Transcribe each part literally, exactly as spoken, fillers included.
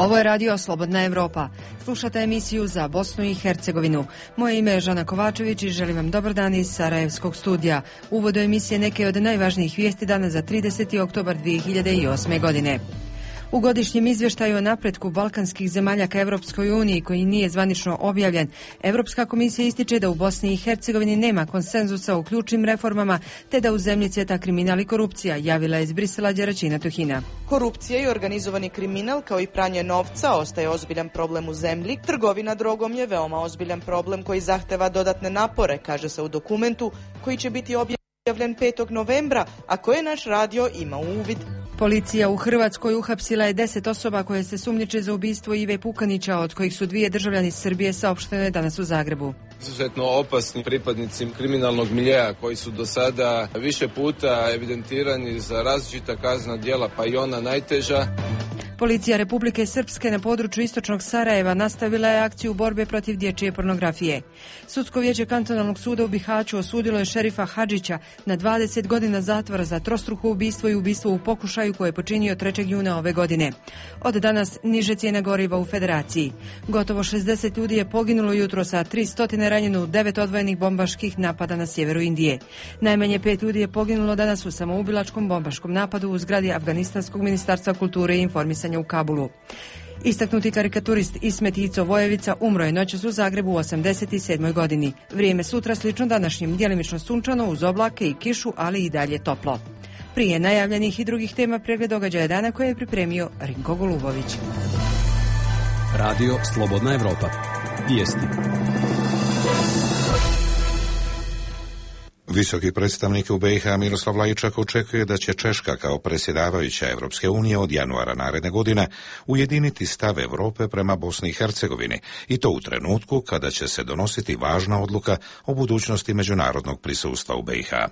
Ovo je radio Slobodna Evropa. Slušate emisiju za Bosnu i Hercegovinu. Moje ime je Žana Kovačević i želim vam dobar dan iz Sarajevskog studija. Uvod emisije neke od najvažnijih vijesti dana za trideseti oktobar dvije hiljade osme. godine. U godišnjem izvještaju o napretku balkanskih zemalja ka Evropskoj uniji, koji nije zvanično objavljen, Evropska komisija ističe da u Bosni i Hercegovini nema konsenzusa o ključnim reformama, te da u zemlji cvjeta kriminal i korupcija, javila je iz Brisela Đeračina Tuhina. Korupcija i organizovani kriminal, kao i pranje novca, ostaje ozbiljan problem u zemlji. Trgovina drogom je veoma ozbiljan problem koji zahteva dodatne napore, kaže se u dokumentu koji će biti objavljen petog novembra, a koje naš radio ima u uvid. Policija u Hrvatskoj uhapsila je deset osoba koje se sumnjiče za ubistvo Ive Pukanića, od kojih su dvije državljani Srbije, saopšteno je danas u Zagrebu. Izuzetno opasni pripadnici kriminalnog miljeja koji su do sada više puta evidentirani za različita kaznena djela, pa i ona najteža. Policija Republike Srpske na području istočnog Sarajeva nastavila je akciju borbe protiv dječje pornografije. Sudsko vijeće kantonalnog suda u Bihaću osudilo je šerifa Hadžića na dvadeset godina zatvora za trostruko ubistvo i ubistvo u pokušaju koje je počinio trećeg juna ove godine. Od danas niže cijene goriva u Federaciji. Gotovo šezdeset ljudi je poginulo jutros, a tristo ranjeno u devet odvojenih bombaških napada na sjeveru Indije. Najmanje pet ljudi je poginulo danas u samoubilačkom bombaškom napadu u zgradi Afganistanskog ministarstva kulture i informisanja u Kabulu. Istaknuti karikaturist Ismet Ico Vojevica umro je noćas u Zagrebu u osamdeset sedmoj. godini. Vrijeme sutra slično današnjim, djelimično sunčano uz oblake i kišu, ali i dalje toplo. Prije najavljenih i drugih tema pregled događaja dana koje je pripremio Rinko Golubović. Radio Slobodna Evropa. Vijesti. Visoki predstavnik u B i H Miroslav Lajčak očekuje da će Češka kao predsjedavajuća Evropske unije od januara naredne godine ujediniti stav Europe prema Bosni i Hercegovini, i to u trenutku kada će se donositi važna odluka o budućnosti međunarodnog prisustva u B i H.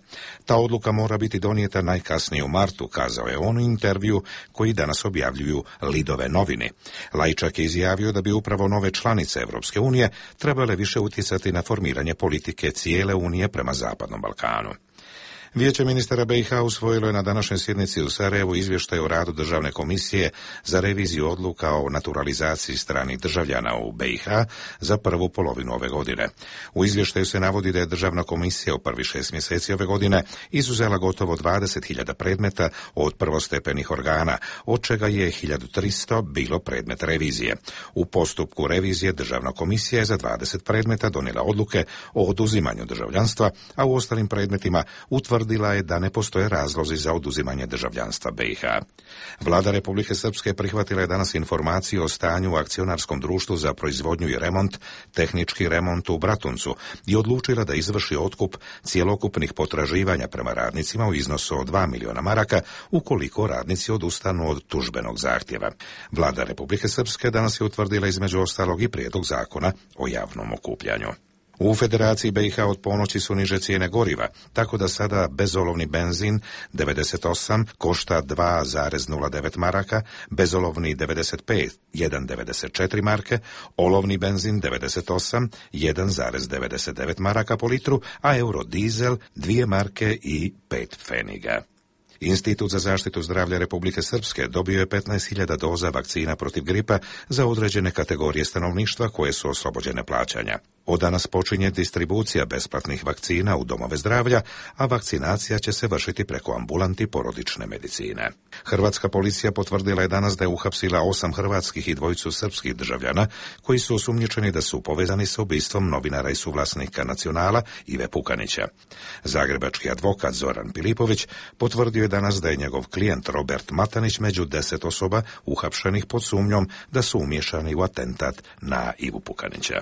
Ta odluka mora biti donijeta najkasnije u martu, kazao je on u intervju koji danas objavljuju Lidove novine. Lajčak je izjavio da bi upravo nove članice Evropske unije trebale više utjecati na formiranje politike cijele unije prema zapadnom Balkanu. Vijeće ministara B i H usvojilo je na današnjoj sjednici u Sarajevu izvještaj o radu Državne komisije za reviziju odluka o naturalizaciji stranih državljana u B i H za prvu polovinu ove godine. U izvještaju se navodi da je Državna komisija u prvi šest mjeseci ove godine izuzela gotovo dvadeset hiljada predmeta od prvostepenih organa, od čega je hiljadu tristo bilo predmet revizije. U postupku revizije Državna komisija je za dvadeset predmeta donijela odluke o oduzimanju državljanstva, a u ostalim predmetima utvrdila Tvrdila je da ne postoje razlozi za oduzimanje državljanstva B i H. Vlada Republike Srpske prihvatila je danas informaciju o stanju u akcionarskom društvu za proizvodnju i remont, tehnički remont u Bratuncu, i odlučila da izvrši otkup cjelokupnih potraživanja prema radnicima u iznosu od dva miliona maraka ukoliko radnici odustanu od tužbenog zahtjeva. Vlada Republike Srpske danas je utvrdila između ostalog i prijedlog zakona o javnom okupljanju. U Federaciji B i H od ponoći su niže cijene goriva, tako da sada bezolovni benzin devedeset osam košta dva zarez nula devet maraka, bezolovni devedeset pet jedan zarez devedeset četiri marke, olovni benzin devedeset osam jedan zarez devedeset devet maraka po litru, a eurodizel dvije marke i pet pfeniga. Institut za zaštitu zdravlja Republike Srpske dobio je petnaest hiljada doza vakcina protiv gripa za određene kategorije stanovništva koje su oslobođene plaćanja. Od danas počinje distribucija besplatnih vakcina u domove zdravlja, a vakcinacija će se vršiti preko ambulanti porodične medicine. Hrvatska policija potvrdila je danas da je uhapsila osam hrvatskih i dvojicu srpskih državljana koji su osumnjičeni da su povezani sa ubistvom novinara i suvlasnika Nacionala Ive Pukanića. Zagrebački advokat Zoran Pilipović potvrdio je danas da je njegov klijent Robert Matanić među deset osoba uhapšenih pod sumnjom da su umiješani u atentat na Ivu Pukanića.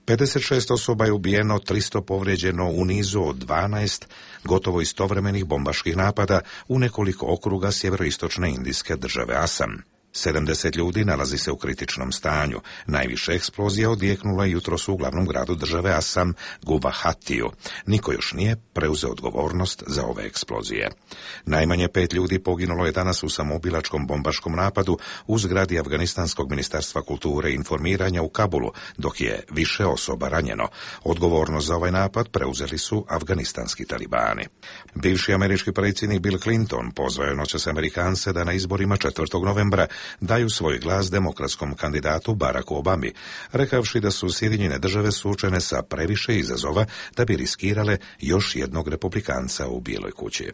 pedeset šest osoba je ubijeno, tristo povrijeđeno u nizu od dvanaest gotovo istovremenih bombaških napada u nekoliko okruga sjeveroistočne indijske države Asam. sedamdeset ljudi nalazi se u kritičnom stanju. Najviše eksplozija odjeknula je jutros u glavnom gradu države Asam, Guvahatiju. Niko još nije preuzeo odgovornost za ove eksplozije. Najmanje pet ljudi poginulo je danas u samoubilačkom bombaškom napadu u zgradi Afganistanskog ministarstva kulture i informiranja u Kabulu, dok je više osoba ranjeno. Odgovornost za ovaj napad preuzeli su afganistanski talibani. Bivši američki predsjednik Bill Clinton pozvao je noćas Amerikance da na izborima četvrtog novembra daju svoj glas demokratskom kandidatu Baracku Obami, rekavši da su Sjedinjene države suočene sa previše izazova da bi riskirale još jednog republikanca u Bijeloj kući.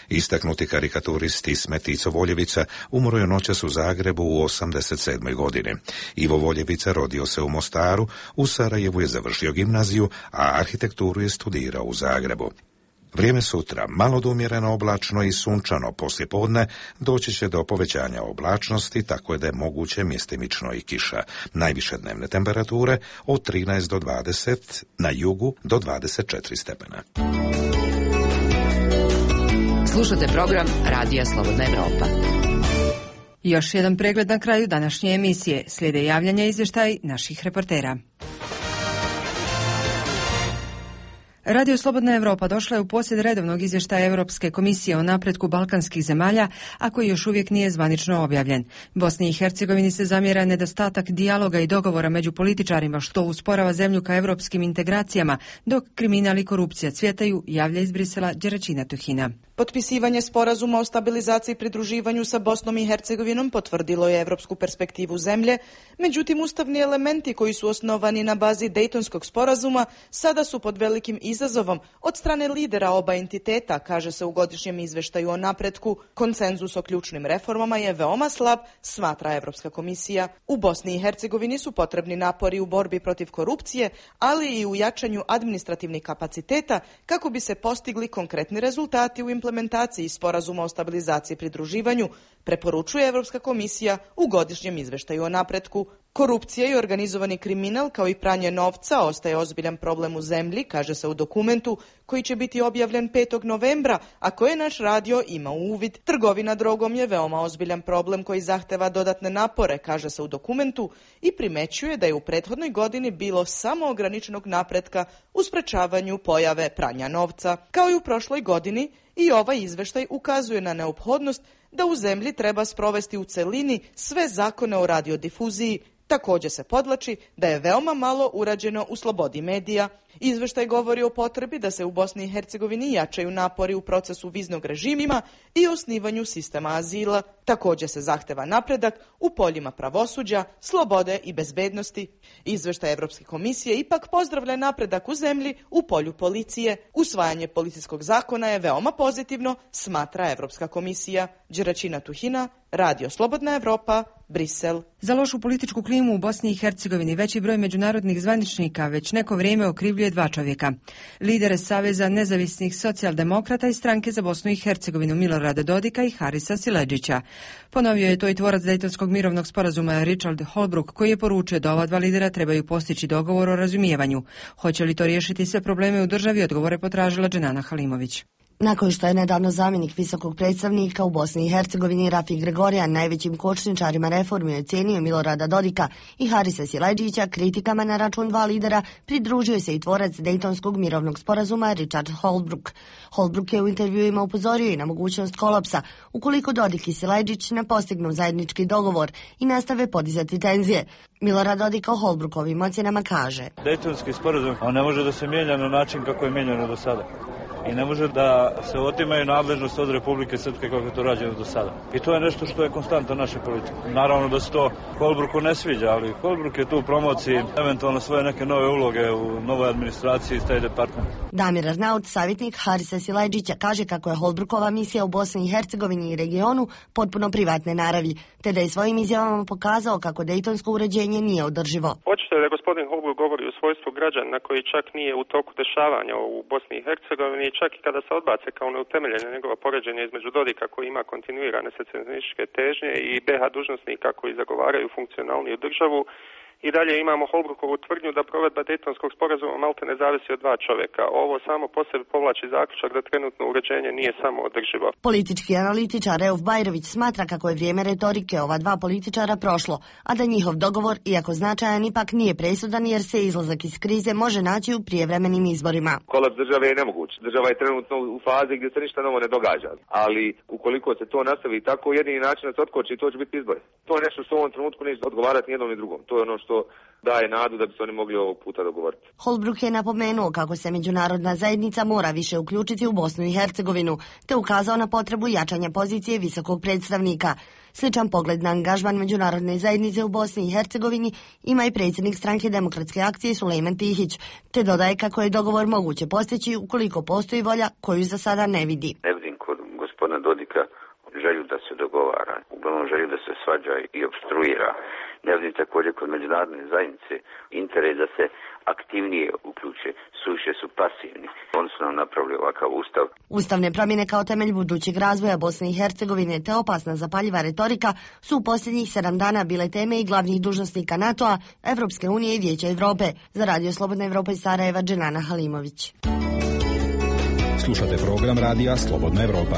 Istaknuti karikaturist Ismet Ico Voljevica umro je noćas u Zagrebu u osamdeset sedmoj godini. Ivo Voljevica rodio se u Mostaru, u Sarajevu je završio gimnaziju, a arhitekturu je studirao u Zagrebu. Vrijeme sutra malo do umjereno oblačno i sunčano, poslije podne doći će do povećanja oblačnosti, tako je da je moguće mjestimično i kiša. Najviše dnevne temperature od trinaest do dvadeset, na jugu do dvadeset četiri stepena. Slušate program Radija Slobodna Evropa. Još jedan pregled na kraju današnje emisije. Slijede javljanja i izvještaj naših reportera. Radio Slobodna Evropa došla je u posjed redovnog izvještaja Europske komisije o napretku balkanskih zemalja, a koji još uvijek nije zvanično objavljen. Bosni i Hercegovini se zamjera nedostatak dijaloga i dogovora među političarima, što usporava zemlju ka europskim integracijama, dok kriminal i korupcija cvjetaju, javlja iz Brisela Đeračina Tuhina. Potpisivanje sporazuma o stabilizaciji i pridruživanju sa Bosnom i Hercegovinom potvrdilo je evropsku perspektivu zemlje, međutim ustavni elementi koji su osnovani na bazi Dejtonskog sporazuma sada su pod velikim izazovom od strane lidera oba entiteta, kaže se u godišnjem izveštaju o napretku. Konsenzus o ključnim reformama je veoma slab, smatra Evropska komisija. U Bosni i Hercegovini su potrebni napori u borbi protiv korupcije, ali i u jačanju administrativnih kapaciteta kako bi se postigli konkretni rezultati u implementaciji implementaciji sporazuma o stabilizaciji i pridruživanju, preporučuje Evropska komisija u godišnjem izveštaju o napretku. Korupcija i organizovani kriminal kao i pranje novca ostaje ozbiljan problem u zemlji, kaže se u dokumentu koji će biti objavljen petog novembra, a koje naš radio ima u uvid. Trgovina drogom je veoma ozbiljan problem koji zahteva dodatne napore, kaže se u dokumentu, i primećuje da je u prethodnoj godini bilo samo ograničenog napretka u sprečavanju pojave pranja novca. Kao i u prošloj godini, i ovaj izveštaj ukazuje na neophodnost da u zemlji treba sprovesti u celini sve zakone o radiodifuziji. Također se podvlači da je veoma malo urađeno u slobodi medija. Izveštaj govori o potrebi da se u Bosni i Hercegovini jačaju napori u procesu viznog režima i osnivanju sistema azila. Također se zahteva napredak u poljima pravosuđa, slobode i bezbednosti. Izveštaj Evropske komisije ipak pozdravlja napredak u zemlji u polju policije. Usvajanje policijskog zakona je veoma pozitivno, smatra Evropska komisija. Đeračina Tuhina, Radio Slobodna Evropa, Brisel. Za lošu političku klimu u Bosni i Hercegovini veći broj međunarodnih zvaničnika već neko vrijeme okrivljuje dva čovjeka. Lidere Saveza nezavisnih socijaldemokrata i stranke za Bosnu i Hercegovinu Milorada Dodika i Harisa Siledžića. Ponovio je to i tvorac Dejtonskog mirovnog sporazuma Richard Holbrooke, koji je poručio da ova dva lidera trebaju postići dogovor o razumijevanju. Hoće li to riješiti sve probleme u državi, odgovore potražila Dženana Halimović. Nakon što je nedavno zamjenik visokog predstavnika u Bosni i Hercegovini Rafik Gregorijan najvećim kočničarima reformi ocijenio Milorada Dodika i Harisa Siledžića kritikama na račun dva lidera, pridružio se i tvorac Dejtonskog mirovnog sporazuma Richard Holbrooke. Holbrooke je u intervjuima upozorio i na mogućnost kolapsa ukoliko Dodik i Siledžić ne postignu zajednički dogovor i nastave podizati tenzije. Milorad Dodik o Holbrookovim ocjenama kaže: Dejtonski sporazum on ne može da se mijenja na način kako je mijenjano do sada. I ne može da se otimaju nadležnost od Republike Srpske kako je to rađeno do sada. I to je nešto što je konstanta naše politike. Naravno da se to Holbrooku ne sviđa, ali Holbrooke je tu u promociji eventualno svoje neke nove uloge u novoj administraciji i State Department. Damir Arnaut, savjetnik Harisa Siledžića, kaže kako je Holbrookova misija u Bosni i Hercegovini i regionu potpuno privatne naravi, te da je svojim izjavama pokazao kako dejtonsko uređenje nije održivo. Očito je da gospodin Holbrooke govori u svojstvu građana koji čak nije u toku dešavanja u Bosni i Hercegovini, čak i kada se odbace kao neutemeljene njegova poređenja između Dodika koji ima kontinuirane secesionističke težnje i be ha dužnosnika koji zagovaraju funkcionalniju državu. I dalje imamo Holbrookovu tvrdnju da provedba Dejtonskog sporazuma malte ne zavisi od dva čovjeka. Ovo samo po sebi povlači zaključak da trenutno uređenje nije samo održivo. Politički analitičar Reuf Bajrović smatra kako je vrijeme retorike ova dva političara prošlo, a da njihov dogovor, iako značajan, ipak nije presudan jer se izlazak iz krize može naći u prijevremenim izborima. Kolaps države je nemoguć. Država je trenutno u fazi gdje se ništa novo ne događa. Ali ukoliko se to nastavi tako, jedini način da se otkoči, to će biti izbori. To je nešto što u ovom trenutku neće odgovarati ni jednom ni drugom. To je ono što što daje nadu da bi se oni mogli ovog puta dogovoriti. Holbrooke je napomenuo kako se međunarodna zajednica mora više uključiti u Bosnu i Hercegovinu, te ukazao na potrebu jačanja pozicije visokog predstavnika. Sličan pogled na angažman međunarodne zajednice u Bosni i Hercegovini ima i predsjednik stranke Demokratske akcije Sulejman Tihić, te dodaje kako je dogovor moguće postići ukoliko postoji volja koju za sada ne vidi. Ne vidim kod gospodina Dodika želju da se dogovara, uglavnom želju da se svađa i opstruira. Ne vidim također kod međunarodne zajednice interes da se aktivnije uključe, suviše su pasivni. Oni su nam napravili ovakav ustav. Ustavne promjene kao temelj budućeg razvoja Bosne i Hercegovine te opasna zapaljiva retorika su u posljednjih sedam dana bile teme i glavnih dužnosnika NATO-a, Evropske unije i Vijeća Europe. Za Radio Slobodna Evropa iz Sarajeva, Dženana Halimović. Slušate program Radija Slobodna Evropa.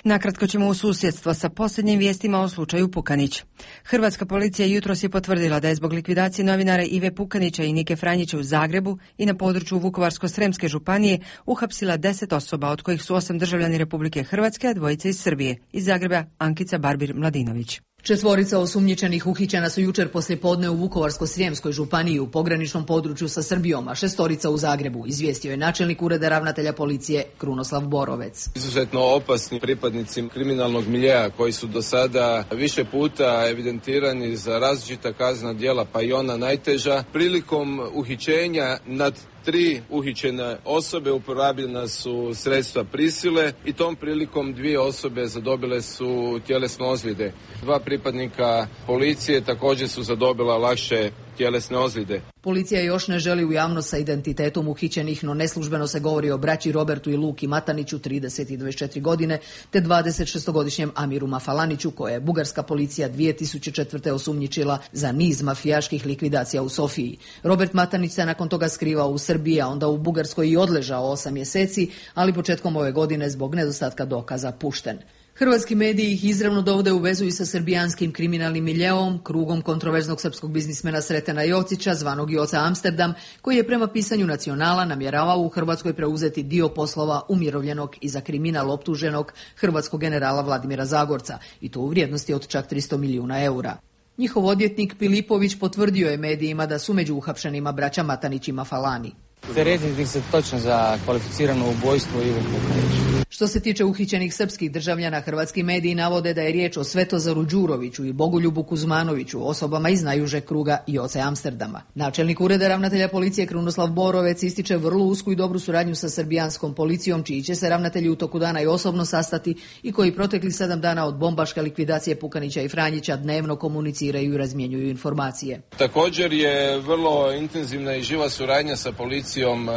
Nakratko ćemo u susjedstvo sa posljednjim vijestima o slučaju Pukanić. Hrvatska policija jutros je potvrdila da je zbog likvidacije novinara Ive Pukanića i Nike Franjića u Zagrebu i na području Vukovarsko-sremske županije uhapsila deset osoba, od kojih su osam državljani Republike Hrvatske, a dvojica iz Srbije. Iz Zagreba Ankica Barbir Mladinović. Četvorica osumnjičenih uhićena su jučer poslijepodne u Vukovarsko-srijemskoj županiji u pograničnom području sa Srbijom, a šestorica u Zagrebu, izvijestio je načelnik ureda ravnatelja policije Krunoslav Borovec. Izuzetno opasni pripadnici kriminalnog miljea koji su do sada više puta evidentirani za različita kaznena djela, pa i ona najteža. Prilikom uhićenja nad tri uhićene osobe uporabljena su sredstva prisile i tom prilikom dvije osobe zadobile su tjelesne ozljede. Dva pripadnika policije također su zadobila lakše tjelesne ozljede. Policija još ne želi u javnost sa identitetom uhićenih, no neslužbeno se govori o braći Robertu i Luki Mataniću, trideset i dvadeset četiri godine, te dvadesetšestogodišnjem Amiru Mafalaniću, koje je bugarska policija dvije tisuće četvrte osumnjičila za niz mafijaških likvidacija u Sofiji. Robert Matanić se nakon toga skrivao u Srbiji, a onda u Bugarskoj i odležao osam mjeseci, ali početkom ove godine zbog nedostatka dokaza pušten. Hrvatski mediji ih izravno dovode u vezu i sa srbijanskim kriminalnim miljeom, krugom kontroverznog srpskog biznismena Sretena Jocića, zvanog Joca Amsterdam, koji je prema pisanju Nacionala namjeravao u Hrvatskoj preuzeti dio poslova umirovljenog i za kriminal optuženog hrvatskog generala Vladimira Zagorca, i to u vrijednosti od čak tristo milijuna eura. Njihov odvjetnik Pilipović potvrdio je medijima da su među uhapšenima braća Matanić i Mafalani. Teretiti se točno za kvalificirano ubojstvo Ivo Pukanić. Što se tiče uhićenih srpskih državljana, hrvatski mediji navode da je riječ o Svetozaru Đuroviću i Bogoljubu Kuzmanoviću, osobama iz najužeg kruga Joce Amsterdama. Načelnik ureda ravnatelja policije Krunoslav Borovec ističe vrlo usku i dobru suradnju sa srbijanskom policijom, čiji će se ravnatelji u toku dana i osobno sastati i koji protekli sedam dana od bombaške likvidacije Pukanića i Franjića dnevno komuniciraju i razmjenjuju informacije. Također je vrlo intenzivna i živa suradnja sa policijom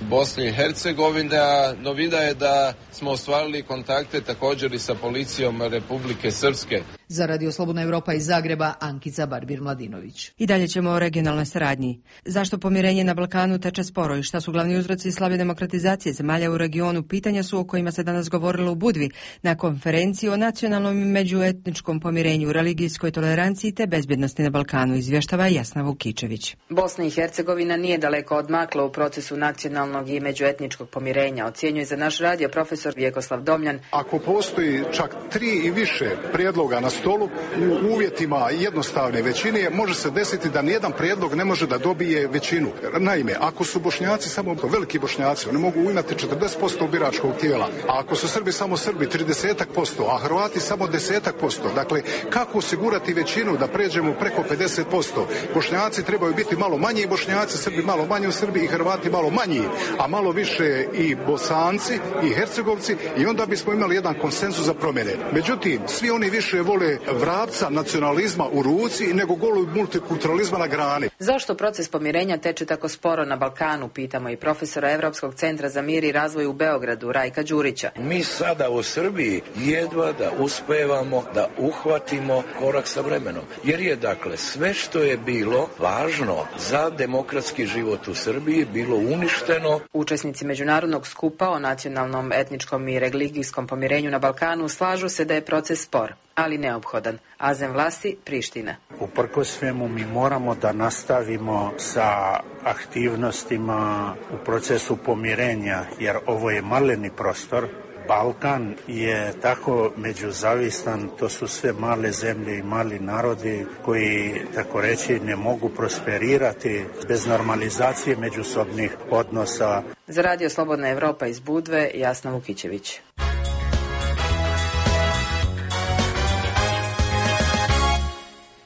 Bosne i Hercegovine, a novina je da smo ostvarili kontakte također i sa policijom Republike Srpske. Za Radio Slobodna Evropa iz Zagreba, Ankica Barbir Mladinović. I dalje ćemo o regionalnoj saradnji. Zašto pomirenje na Balkanu teče sporo i šta su glavni uzroci slabe demokratizacije zemalja u regionu, pitanja su o kojima se danas govorilo u Budvi na konferenciji o nacionalnom i međuetničkom pomirenju, religijskoj toleranciji te bezbjednosti na Balkanu, izvještava Jasna Vukičević. Bosna i Hercegovina nije daleko odmakla u procesu nacionalnog i međuetničkog pomirenja, ocjenjuje za naš radio profesor Vjekoslav Domljan. Ako postoji čak tri i više prijedloga na stolu u uvjetima jednostavne većine, može se desiti da nijedan prijedlog ne može da dobije većinu. Naime, ako su Bošnjaci samo veliki Bošnjaci, oni mogu imati četrdeset posto biračkog tijela, a ako su Srbi samo Srbi trideset posto, a Hrvati samo deset posto. Dakle, kako osigurati većinu da pređemo preko pedeset posto? Bošnjaci trebaju biti malo manji Bošnjaci, Srbi malo manje u Srbiji i Hrvati malo manji, a malo više i Bosanci i Hercegovci, i onda bismo imali jedan konsenzus za promjene. Međutim, svi oni više vole vrapca nacionalizma u ruci nego golu multikulturalizma na grani. Zašto proces pomirenja teče tako sporo na Balkanu, pitamo i profesora Evropskog centra za mir i razvoj u Beogradu, Rajka Đurića. Mi sada u Srbiji jedva da uspevamo da uhvatimo korak sa vremenom. Jer je dakle sve što je bilo važno za demokratski život u Srbiji bilo uništeno. Učesnici međunarodnog skupa o nacionalnom, etničkom i religijskom pomirenju na Balkanu slažu se da je proces spor, ali neophodan. Azem vlasti Priština. Uprkos svemu mi moramo da nastavimo sa aktivnostima u procesu pomirenja, jer ovo je maleni prostor. Balkan je tako međuzavistan, to su sve male zemlje i mali narodi koji, tako reći, ne mogu prosperirati bez normalizacije međusobnih odnosa. Za Radio Slobodna Evropa iz Budve, Jasna Vukićević.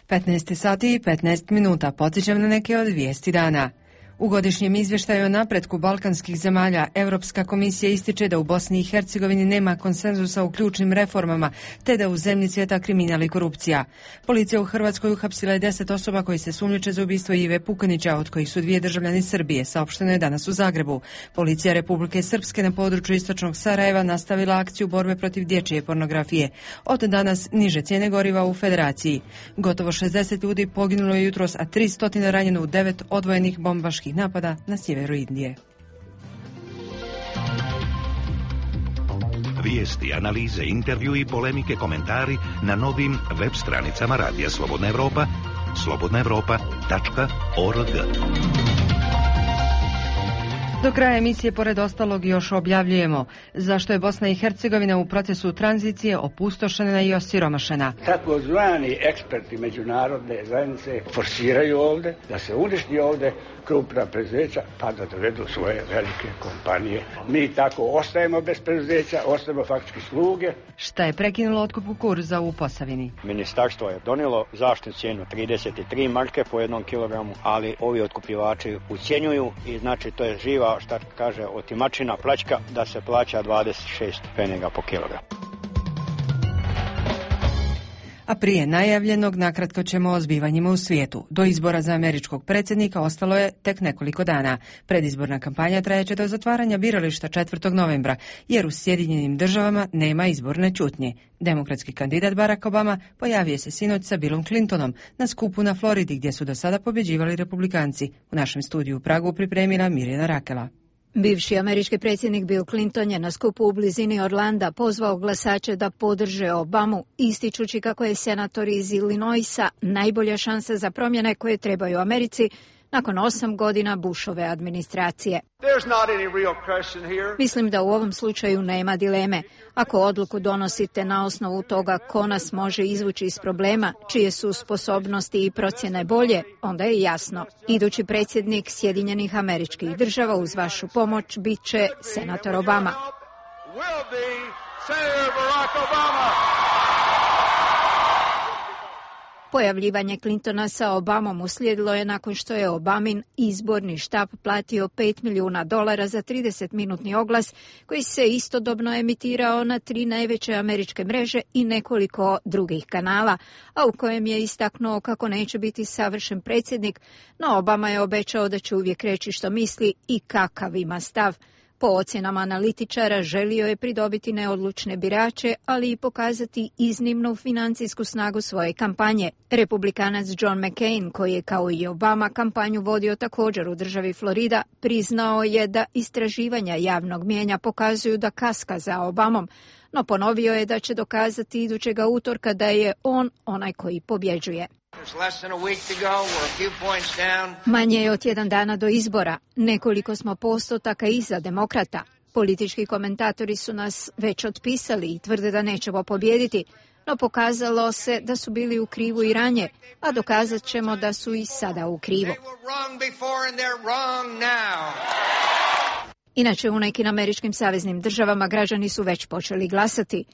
petnaest sati i petnaest minuta. Podsjećam na neke od vijesti dana. U godišnjem izvještaju o napretku balkanskih zemalja Europska komisija ističe da u Bosni i Hercegovini nema konsenzusa u ključnim reformama, te da u zemlji cvjeta kriminal i korupcija. Policija u Hrvatskoj uhapsila je deset osoba koji se sumnjiče za ubistvo Ive Pukanića, od kojih su dvije državljani Srbije, saopšteno je danas u Zagrebu. Policija Republike Srpske na području istočnog Sarajeva nastavila akciju borbe protiv dječje pornografije. Od danas niže cijene goriva u Federaciji. Gotovo šezdeset ljudi poginulo je jutros, a tristo ranjeno u devet odvojenih bombaških napada na sjeveru Indije. Vijesti, analize, intervju i polemike, komentari na novim web stranicama Radija Slobodna Evropa, slobodna evropa tačka org. Do kraja emisije, pored ostalog, još objavljujemo zašto je Bosna i Hercegovina u procesu tranzicije opustošena i osiromašena. Takozvani eksperti međunarodne zajednice forsiraju ovdje da se uništi ovdje krupna preduzeća pa da dovedu svoje velike kompanije. Mi tako ostajemo bez preduzeća, ostajemo faktički sluge. Šta je prekinulo otkup kukuruza u Posavini? Ministarstvo je donijelo zaštitnu cijenu trideset tri marke po jednom kilogramu, ali ovi otkupljivači ucjenjuju i znači to je živa, šta kaže, otimačina, plaćka, da se plaća dvadeset šest penega po kilogramu. A prije najavljenog, nakratko ćemo o zbivanjima u svijetu. Do izbora za američkog predsjednika ostalo je tek nekoliko dana. Predizborna kampanja trajeće do zatvaranja birališta četvrtog novembra, jer u Sjedinjenim državama nema izborne ćutnje. Demokratski kandidat Barack Obama pojavio se sinoć sa Billom Clintonom na skupu na Floridi, gdje su do sada pobjeđivali republikanci. U našem studiju u Pragu pripremila Mirjana Rakela. Bivši američki predsjednik Bill Clinton je na skupu u blizini Orlanda pozvao glasače da podrže Obamu, ističući kako je senator iz Illinoisa najbolja šansa za promjene koje trebaju Americi nakon osam godina Bushove administracije. Mislim da u ovom slučaju nema dileme. Ako odluku donosite na osnovu toga ko nas može izvući iz problema, čije su sposobnosti i procjene bolje, onda je jasno. Idući predsjednik Sjedinjenih Američkih Država uz vašu pomoć bit će senator Obama. Pojavljivanje Clintona sa Obamom uslijedilo je nakon što je Obamin izborni štab platio pet milijuna dolara za tridesetminutni oglas koji se istodobno emitirao na tri najveće američke mreže i nekoliko drugih kanala, a u kojem je istaknuo kako neće biti savršen predsjednik, no Obama je obećao da će uvijek reći što misli i kakav ima stav. Po ocjenama analitičara želio je pridobiti neodlučne birače, ali i pokazati iznimnu financijsku snagu svoje kampanje. Republikanac John McCain, koji je kao i Obama kampanju vodio također u državi Florida, priznao je da istraživanja javnog mijenja pokazuju da kaska za Obamom, no ponovio je da će dokazati idućega utorka da je on onaj koji pobjeđuje. Manje je od tjedan dana do izbora. Nekoliko smo postotaka iza demokrata. Politički komentatori su nas već otpisali i tvrde da nećemo pobijediti, no pokazalo se da su bili u krivu i ranije, a dokazat ćemo da su i sada u krivu. Inače, u nekim američkim saveznim državama građani su već počeli glasati.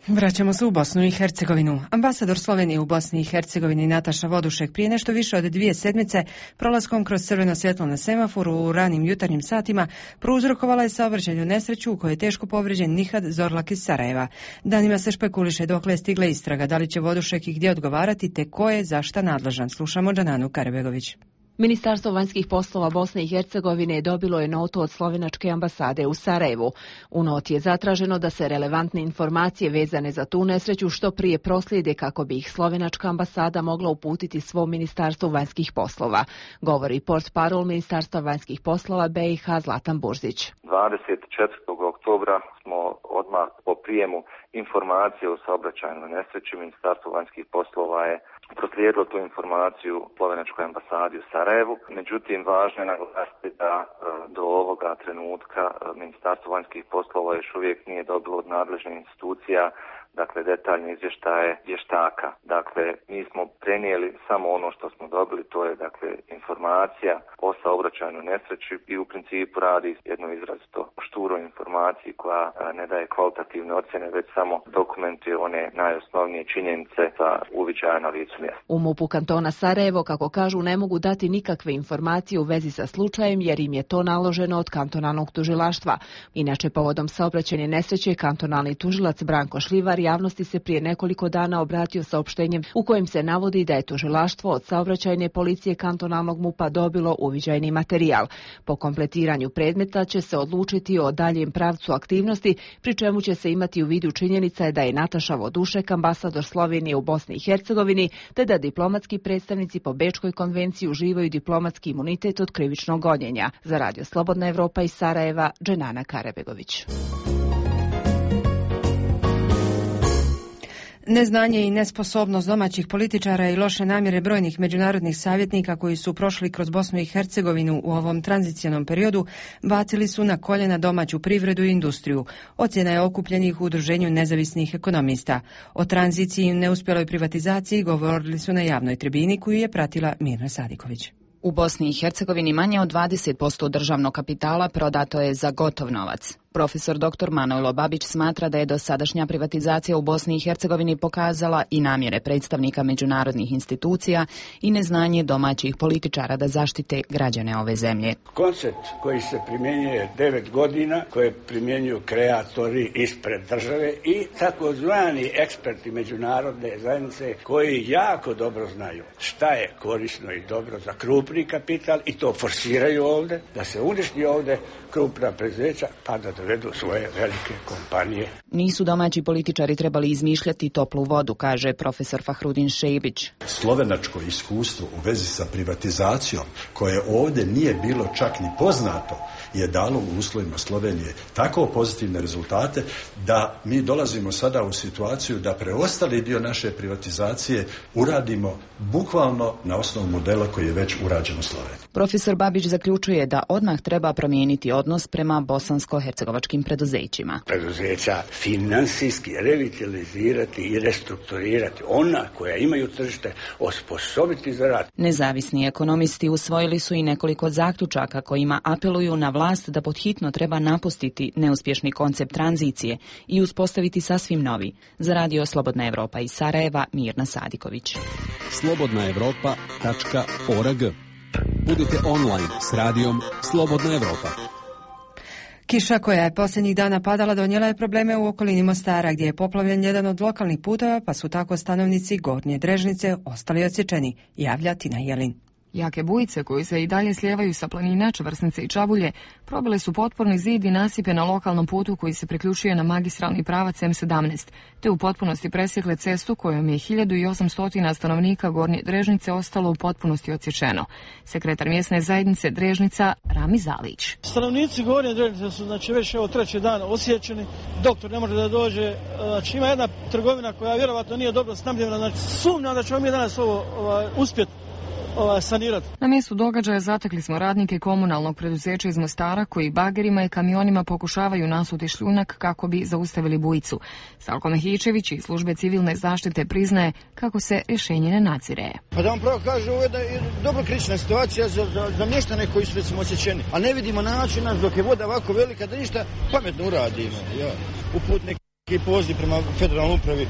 Vraćamo se u Bosnu i Hercegovinu. Ambasador Slovenije u Bosni i Hercegovini Nataša Vodušek prije nešto više od dvije sedmice prolaskom kroz crveno svjetlo na semaforu u ranim jutarnjim satima prouzrokovala je saobraćajnu nesreću u kojoj je teško povrijeđen Nihad Zorlak iz Sarajeva. Danima se špekuliše dokle je stigla istraga, da li će Vodušek i gdje odgovarati te ko je za šta nadležan. Slušamo Džananu Karabegović. Ministarstvo vanjskih poslova Bosne i Hercegovine dobilo je notu od slovenačke ambasade u Sarajevu. U noti je zatraženo da se relevantne informacije vezane za tu nesreću što prije proslijede kako bi ih slovenačka ambasada mogla uputiti svom ministarstvu vanjskih poslova, govori portparol Ministarstva vanjskih poslova B i H Zlatan Burzić. dvadeset četvrtog oktobra smo odmah po prijemu informacije o saobraćajnoj nesreći. Ministarstvo vanjskih poslova je proslijedilo tu informaciju slovenačkoj ambasadi u Sarajevu. Međutim, važno je naglasiti da do ovoga trenutka Ministarstvo vanjskih poslova još uvijek nije dobilo od nadležnih institucija dakle detaljne izvještaje vještaka. Dakle, mi smo prenijeli samo ono što smo dobili, to je dakle informacija o saobraćajnoj nesreći i u principu radi jedno izrazito šturoj informaciji koja ne daje kvalitativne ocjene, već samo dokumentuje one najosnovnije činjenice za uviđaja na licu mjesta. U MUP-u kantona Sarajevo, kako kažu, ne mogu dati nikakve informacije u vezi sa slučajem jer im je to naloženo od kantonalnog tužilaštva. Inače, povodom saobraćajne nesreće, kantonalni tužilac Branko Šljivar javnosti se prije nekoliko dana obratio saopštenjem u kojem se navodi da je tužilaštvo od saobraćajne policije kantonalnog MUP-a dobilo uviđajni materijal. Po kompletiranju predmeta će se odlučiti o daljem pravcu aktivnosti, pri čemu će se imati u vidu činjenica da je Nataša Vodušek, ambasador Slovenije u Bosni i Hercegovini, te da diplomatski predstavnici po Bečkoj konvenciji uživaju diplomatski imunitet od krivičnog gonjenja. Za Radio Slobodna Evropa iz Sarajeva, Dženana Karebegović. Neznanje i nesposobnost domaćih političara i loše namjere brojnih međunarodnih savjetnika koji su prošli kroz Bosnu i Hercegovinu u ovom tranzicionom periodu bacili su na koljena domaću privredu i industriju. Ocjena je okupljenih u Udruženju nezavisnih ekonomista. O tranziciji i neuspjeloj privatizaciji govorili su na javnoj tribini koju je pratila Mirna Sadiković. U Bosni i Hercegovini manje od dvadeset posto državnog kapitala prodato je za gotov novac. Profesor doktor Manojlo Babić smatra da je dosadašnja privatizacija u Bosni i Hercegovini pokazala i namjere predstavnika međunarodnih institucija i neznanje domaćih političara da zaštite građane ove zemlje. Koncept koji se primjenjuje devet godina, koje primjenjuju kreatori ispred države i takozvani eksperti međunarodne zajednice koji jako dobro znaju šta je korisno i dobro za krupni kapital i to forsiraju ovdje, da se uništi ovdje krupna preduzeća pa da dovedu svoje velike kompanije. Nisu domaći političari trebali izmišljati toplu vodu, kaže profesor Fahrudin Šejbić. Slovenačko iskustvo u vezi sa privatizacijom, koje ovdje nije bilo čak ni poznato, je dalo u uslovima Slovenije tako pozitivne rezultate da mi dolazimo sada u situaciju da preostali dio naše privatizacije uradimo bukvalno na osnovu modela koji je već urađen u Sloveniji. Profesor Babić zaključuje da odmah treba promijeniti odnos prema bosansko-hercegovačkim preduzećima. Preduzeća finansijski revitalizirati i restrukturirati, ona koja imaju tržište osposobiti za rad. Nezavisni ekonomisti usvojili su i nekoliko zaključaka kojima apeluju na vlast da podhitno treba napustiti neuspješni koncept tranzicije i uspostaviti sasvim novi. Za Radio Slobodna Evropa iz Sarajeva, Mirna Sadiković. slobodna evropa tačka org. Budite online s radijom Slobodna Evropa. Kiša koja je posljednjih dana padala donijela je probleme u okolini Mostara, gdje je poplavljen jedan od lokalnih puteva, pa su tako stanovnici Gornje Drežnice ostali odsječeni, javlja Tina Jelin. Jake bujice koje se i dalje slijevaju sa planina Čvrsnice i Čabulje probile su potporni zid i nasipe na lokalnom putu koji se priključuje na magistralni pravac M sedamnaest, te u potpunosti presjekle cestu kojom je hiljadu osamsto stanovnika Gornje Drežnice ostalo u potpunosti odsječeno. Sekretar mjesne zajednice Drežnica Rami Zalić. Stanovnici Gornje Drežnice su znači već evo treći dan osjećeni. Doktor ne može da dođe. Znači ima jedna trgovina koja vjerovatno nije dobro snabdjena. Znači sumnjam da ćemo mi danas ovo ovaj, uspjeti sanirati. Na mjestu događaja zatekli smo radnike komunalnog preduzeća iz Mostara koji bagerima i kamionima pokušavaju nasuti šljunak kako bi zaustavili bujicu. Salko Mehićević iz službe civilne zaštite priznaje kako se rješenje ne nadzire. Pa da vam pravo kaže, ovo je dobro kritična situacija za, za, za mještane koji su recimo osjećeni. A ne vidimo načina dok je voda ovako velika da ništa pametno uradimo. Ja. Uput neki poziv prema federalnoj upravi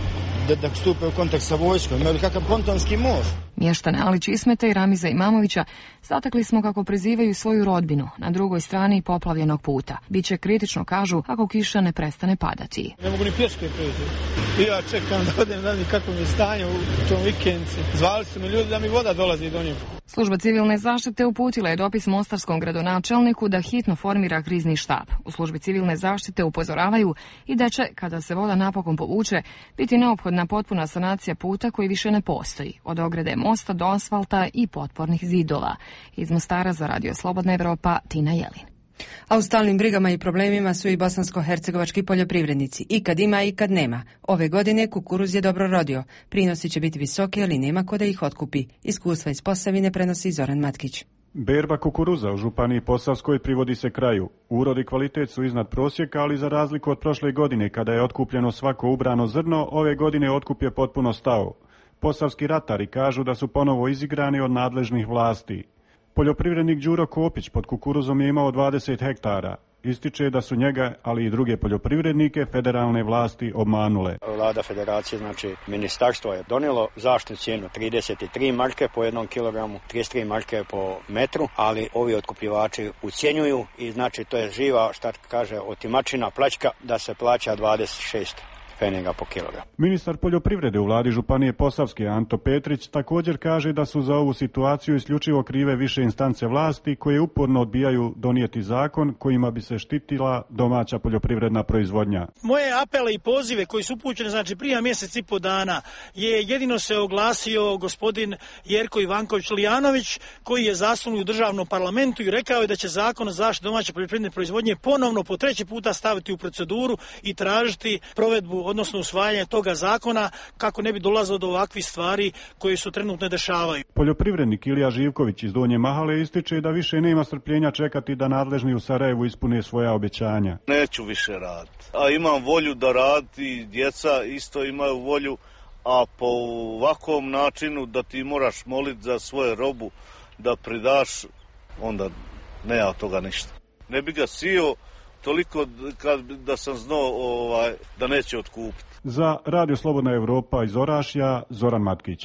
da, da stupe u kontakt sa vojskom, imali kakav pontonski most. Mještane Alić Ismeta i Ramiza Imamovića zatekli smo kako prizivaju svoju rodbinu na drugoj strani poplavljenog puta. Biće kritično, kažu, ako kiša ne prestane padati. Ne mogu ni pješke preći. Ja čekam da odem da mi kako mi je stanje u tom vikendici. Zvali su mi ljudi da mi voda dolazi do njega. Služba civilne zaštite uputila je dopis mostarskom gradonačelniku da hitno formira krizni štab. U službi civilne zaštite upozoravaju i da će, kada se voda napokon povuče, biti neophodna potpuna sanacija puta koji više ne postoji. Od ograde mosta do asfalta i potpornih zidova. Iz Mostara za Radio Slobodna Evropa, Tina Jelin. A u stalnim brigama i problemima su i bosansko-hercegovački poljoprivrednici. I kad ima i kad nema. Ove godine kukuruz je dobro rodio. Prinosi će biti visoki, ali nema ko da ih otkupi. Iskustva iz Posavine prenosi Zoran Matkić. Berba kukuruza u Županiji Posavskoj privodi se kraju. Urod i kvalitet su iznad prosjeka, ali za razliku od prošle godine kada je otkupljeno svako ubrano zrno, ove godine otkup je potpuno stao. Posavski ratari kažu da su ponovo izigrani od nadležnih vlasti. Poljoprivrednik Đuro Kopić pod kukuruzom je imao dvadeset hektara. Ističe da su njega, ali i druge poljoprivrednike, federalne vlasti obmanule. Vlada federacije, znači ministarstvo je donijelo zaštitnu cijenu trideset tri marke po jednom kilogramu, trideset tri marke po metru, ali ovi otkupljivači ucjenjuju i znači to je živa, šta kaže, otimačina, pljačka, da se plaća dvadeset šest pfeniga po kilogram. Ministar poljoprivrede u vladi Županije Posavske Anto Petrić također kaže da su za ovu situaciju isključivo krive više instance vlasti koje uporno odbijaju donijeti zakon kojima bi se štitila domaća poljoprivredna proizvodnja. Moje apele i pozive koji su upućene, znači prije mjesec i po dana, je jedino se oglasio gospodin Jerko Ivanković Lijanović, koji je zastupnik u državnom parlamentu i rekao je da će zakon o zaštiti domaće poljoprivredne proizvodnje ponovno po treći puta staviti u proceduru i tražiti provedbu, odnosno usvajanje toga zakona, kako ne bi dolazilo do ovakvih stvari koje su trenutno dešavaju. Poljoprivrednik Ilija Živković iz Donje Mahale ističe da više nema strpljenja čekati da nadležni u Sarajevu ispune svoja obećanja. Neću više raditi, a imam volju da radi, djeca isto imaju volju, a po ovakvom načinu da ti moraš moliti za svoje robu da pridaš, onda nema od toga ništa. Ne bi ga sio toliko kad, da sam znao ovaj, da neće otkupiti. Za Radio Slobodna Evropa iz Orašja, Zoran Matkić.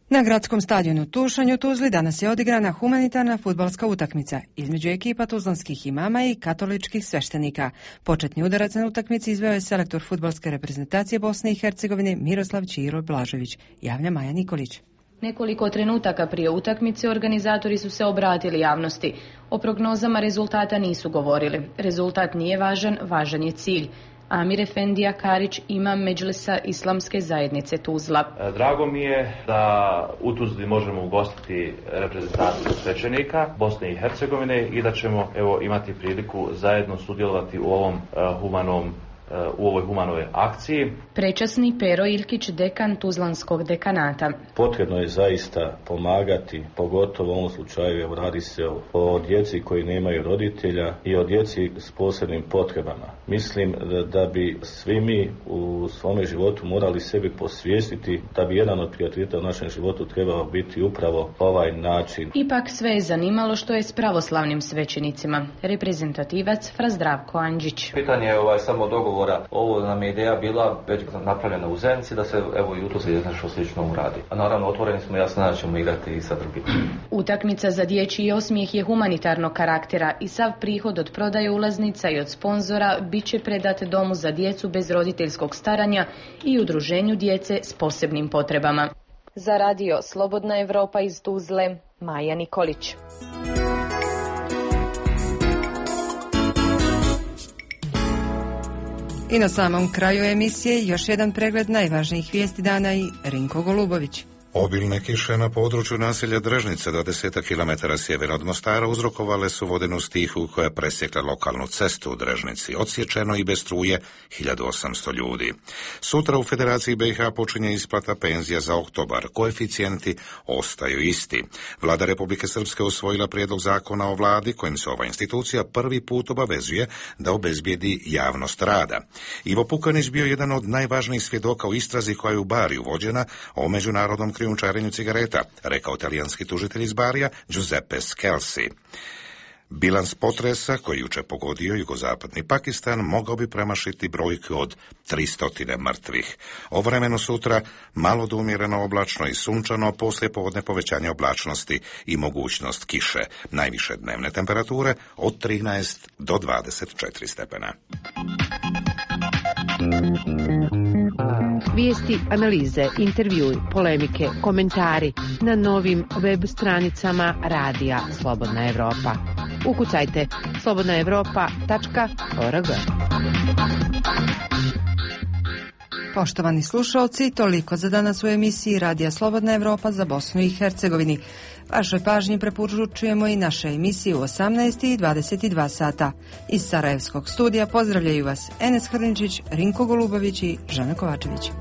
Na gradskom stadionu Tušanj u Tuzli danas je odigrana humanitarna fudbalska utakmica između ekipa tuzlanskih imama i katoličkih sveštenika. Početni udarac na utakmici izveo je selektor fudbalske reprezentacije Bosne i Hercegovine Miroslav Ćiro Blažević, javlja Maja Nikolić. Nekoliko trenutaka prije utakmice organizatori su se obratili javnosti. O prognozama rezultata nisu govorili. Rezultat nije važan, važan je cilj. Amir Efendija Karić, imam Medžlisa Islamske zajednice Tuzla. Drago mi je da u Tuzli možemo ugostiti reprezentaciju svećenika Bosne i Hercegovine i da ćemo evo imati priliku zajedno sudjelovati u ovom uh, humanom u ovoj humanoj akciji. Prečasni Pero Ilkić, dekan Tuzlanskog dekanata. Potrebno je zaista pomagati, pogotovo u ovom slučaju, evo radi se o, o djeci koji nemaju roditelja i o djeci s posebnim potrebama. Mislim da, da bi svi mi u svome životu morali sebi posvijestiti da bi jedan od prioriteta u našem životu trebao biti upravo ovaj način. Ipak sve je zanimalo što je s pravoslavnim svećenicima. Reprezentativac Fra Zdravko Andžić. Pitanje je ovaj samo dogovor. Ovo nam je ideja bila već napravljena u Zenici da se evo i u Tuzli nešto slično uradi. A naravno otvoreni smo, jasno da ćemo igrati i sa drugim. Utakmica za dječji osmijeh je humanitarnog karaktera i sav prihod od prodaje ulaznica i od sponzora bit će predat Domu za djecu bez roditeljskog staranja i udruženju djece s posebnim potrebama. Za radio Slobodna Evropa iz Tuzle, Maja Nikolić. I na samom kraju emisije još jedan pregled najvažnijih vijesti dana i Rinko Golubović. Obilne kiše na području naselja Drežnica do desetak kilometara sjeverno od Mostara uzrokovale su vodenu stihu koja je presjekla lokalnu cestu u Drežnici. Odsječeno i bez struje hiljadu osamsto ljudi. Sutra u Federaciji B i H počinje isplata penzija za oktobar. Koeficijenti ostaju isti. Vlada Republike Srpske usvojila prijedlog zakona o vladi kojim se ova institucija prvi put obavezuje da obezbijedi javnost rada. Ivo Pukanić bio jedan od najvažnijih svjedoka u istrazi koja je u Bariju vođena o međunarodnom krijumčarenju cigareta, rekao talijanski tužitelj iz Barija Giuseppe Scelsi. Bilans potresa koji jučer pogodio jugozapadni Pakistan mogao bi premašiti brojku od tristo mrtvih. O vremenu sutra malo do umjereno oblačno i sunčano, poslije povodne povećanje oblačnosti i mogućnost kiše. Najviše dnevne temperature od trinaest do dvadeset četiri stepena. Vijesti, analize, intervjui, polemike, komentari na novim web stranicama Radija Slobodna Evropa. Ukucajte slobodna evropa tačka org. Poštovani slušalci, toliko za danas u emisiji Radija Slobodna Evropa za Bosnu i Hercegovini. Vašoj pažnji preporučujemo i naše emisije u osamnaest i dvadeset dva sata. Iz Sarajevskog studija pozdravljaju vas Enes Hrničić, Rinko Golubović i Žana Kovačević.